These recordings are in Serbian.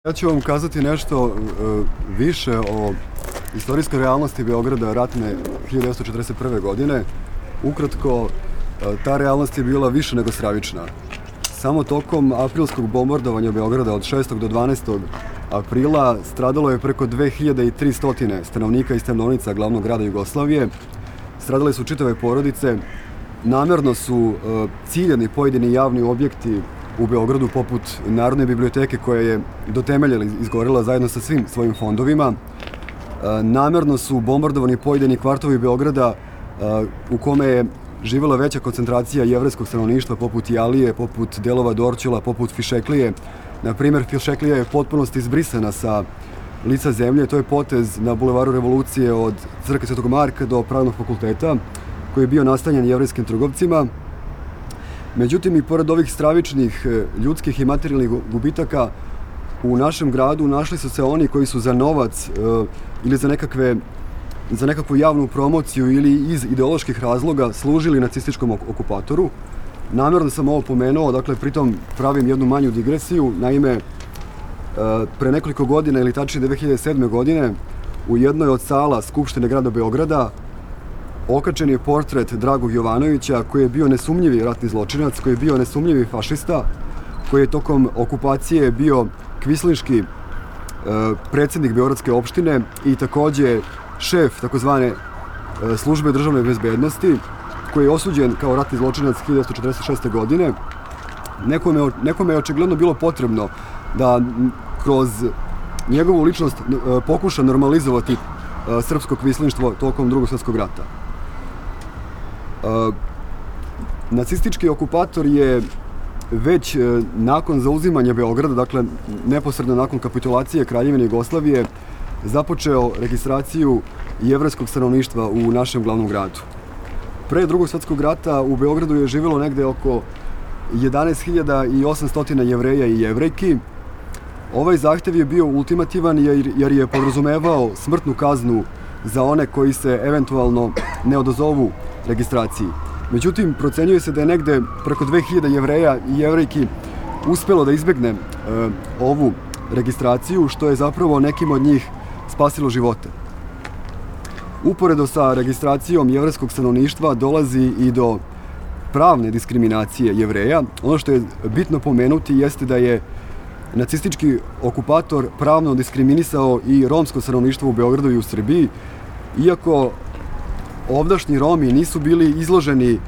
Ja ću vam kazati nešto više o istorijskoj realnosti Beograda ratne 1941. godine. Ukratko, ta realnost je bila više nego stravična. Samo tokom aprilskog bombardovanja Beograda od 6. do 12. aprila stradalo je preko 2300 stanovnika i stanovnica glavnog grada Jugoslavije. Stradale su čitave porodice. Namerno su ciljani pojedini javni objekti u Beogradu, poput Narodne biblioteke koja je do temelja izgorela zajedno sa svim svojim fondovima. Namerno su bombardovani pojedini kvartovi Beograda u kome je živela veća koncentracija jevrejskog stanovništva, poput Jalije, poput delova Dorćola, poput Fišeklije. Na primer, Fišeklija je potpunosti izbrisana sa lica zemlje. To je potez na Bulevaru Revolucije od Crkve Svetog Marka do Pravnog fakulteta, koji je bio nastanjen jevrejskim trgovcima. Međutim, i pored ovih stravičnih ljudskih i materijalnih gubitaka, u našem gradu našli su se oni koji su za novac ili za nekakvu javnu promociju ili iz ideoloških razloga služili nacističkom okupatoru. Namerno sam ovo pomenuo, dakle, pritom pravim jednu manju digresiju. Naime, pre nekoliko godina, ili tačnije 2007. godine, u jednoj od sala Skupštine grada Beograda okačen je portret Dragog Jovanovića, koji je bio nesumnjivi ratni zločinac, koji je bio nesumnjivi fašista, koji je tokom okupacije bio kvislinški predsjednik Beogradske opštine i takođe šef takozvane službe državne bezbednosti, koji je osuđen kao ratni zločinac 1946. godine. Nekome je očigledno bilo potrebno da kroz njegovu ličnost pokuša normalizovati srpsko kvislinštvo tokom Drugog svjetskog rata. Nacistički okupator je već nakon zauzimanja Beograda, dakle neposredno nakon kapitulacije Kraljevine Jugoslavije, započeo registraciju jevrejskog stanovništva u našem glavnom gradu. Pre Drugog svjetskog rata u Beogradu je živjelo negde oko 11.800 Jevreja i Jevrejki. Ovaj zahtev je bio ultimativan jer je podrazumevao smrtnu kaznu za one koji se eventualno ne odazovu registraciji. Međutim, procenjuje se da je negde preko 2000 Jevreja i Jevrejki uspelo da izbegne ovu registraciju, što je zapravo nekim od njih spasilo živote. Uporedo sa registracijom jevrejskog stanovništva dolazi i do pravne diskriminacije Jevreja. Ono što je bitno pomenuti jeste da je nacistički okupator pravno diskriminisao i romsko stanovništvo u Beogradu i u Srbiji, iako ovdašnji Romi nisu bili izloženi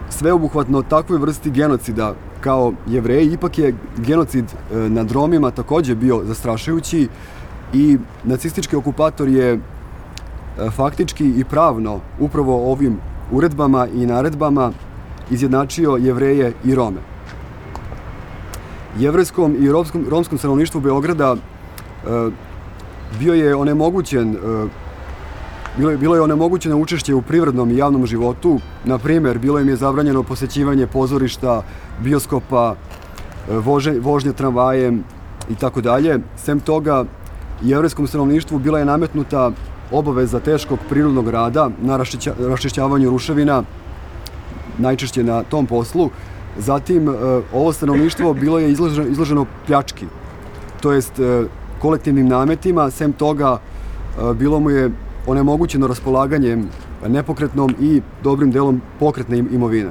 sveobuhvatno takvoj vrsti genocida kao Jevreji. Ipak je genocid nad Romima takođe bio zastrašujući i nacistički okupator je faktički i pravno upravo ovim uredbama i naredbama izjednačio Jevreje i Rome. Jevrejskom i romskom stanovništvu Beograda bilo je onemogućeno učešće u privrednom i javnom životu. Na primer, bilo im je zabranjeno posećivanje pozorišta, bioskopa, vožnje tramvajem i tako dalje. Sem toga, jevrejskom stanovništvu bila je nametnuta obaveza teškog prirodnog rada na raščišćavanju ruševina, najčešće na tom poslu. Zatim, ovo stanovništvo bilo je izloženo pljački, to jest kolektivnim nametima. Sem toga, bilo mu je onemogućeno raspolaganjem nepokretnom i dobrim delom pokretne imovine.